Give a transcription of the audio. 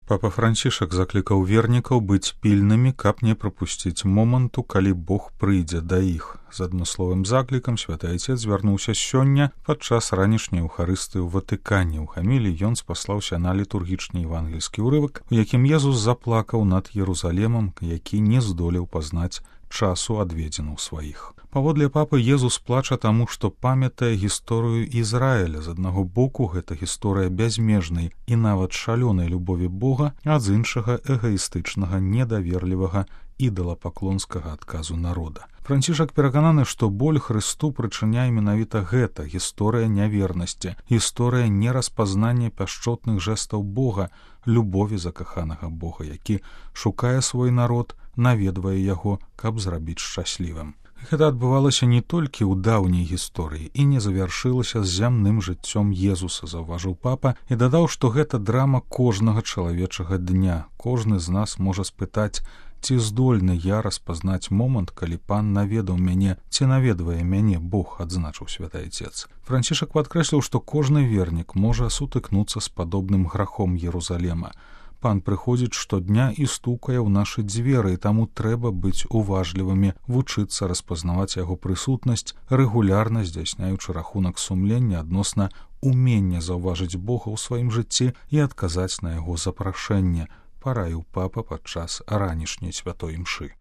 Папа Францішак заклікаў вернікаў быць пільнымі, каб не прапусціць моманту, калі Бог прыйдзе да іх. З адмысловым заклікам святы айцец звярнуўся сёння падчас ранішняй эўхарыстыі ў Ватыкане. У хаміліі ён спаслаўся на літургічны евангельскі ўрывак, у якім Езус заплакаў над Єрусалемам, які не здолеў пазнаць часу адведзену ў сваіх. Паводле папы, Езус плача таму, што памятае гісторыю Ізраіля. З аднаго боку, гэта гісторыя бязмежнай і нават шалёнай любові Бога, а з іншага эгаістычнага, недаверлівага, ідалапаклонскага адказу народа. Францішак перакананы, што боль Хрысту прычыняе менавіта гэта гісторыя нявернасці, гісторыя нераспазнання пяшчотных жэстаў Бога, любові закаханага Бога, які шукае свой народ, наведвае яго, каб зрабіць шчаслівым. Гэта адбывалася не толькі ў даўняй гісторыі і не завяршылася з зямным жыццём Езуса, заўважыў папа, і дадаў, што гэта драма кожнага чалавечага дня. Кожны з нас можа спытаць, ці здольны я распазнаць момант, калі пан наведаў мяне, ці наведвае мяне Бог, адзначыў святы айцец. Францішак падкрэсліў, што кожны вернік можа сутыкнуцца з падобным грахом Єрусалема. Пан прыходзіць штодня і стукае ў нашы дзверы, і таму трэба быць уважлівымі, вучыцца распазнаваць яго прысутнасць, рэгулярна здзяйсняючы рахунак сумлення адносна умення заўважыць Бога ў сваім жыцці і адказаць на яго запрашэнне, параіў папа падчас ранішняй святой імшы.